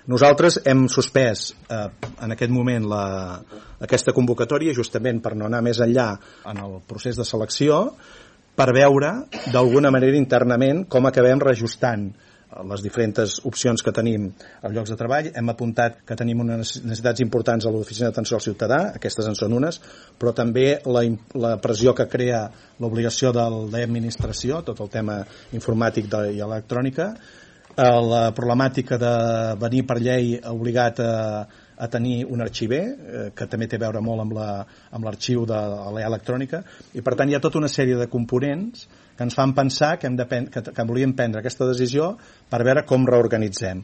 Nosaltres hem suspès en aquest moment aquesta convocatòria justament per no anar més enllà en el procés de selecció, per veure d'alguna manera internament com acabem reajustant les diferents opcions que tenim als llocs de treball. Hem apuntat que tenim unes necessitats importants a l'oficina d'atenció al ciutadà, aquestes en són unes, però també la pressió que crea l'obligació d'administració, tot el tema informàtic i electrònica, la problemàtica de venir per llei obligat a tenir un arxiver, que també té a veure molt amb l'arxiu de la electrònica, i per tant hi ha tota una sèrie de components que ens fan pensar que volíem prendre aquesta decisió per veure com reorganitzem.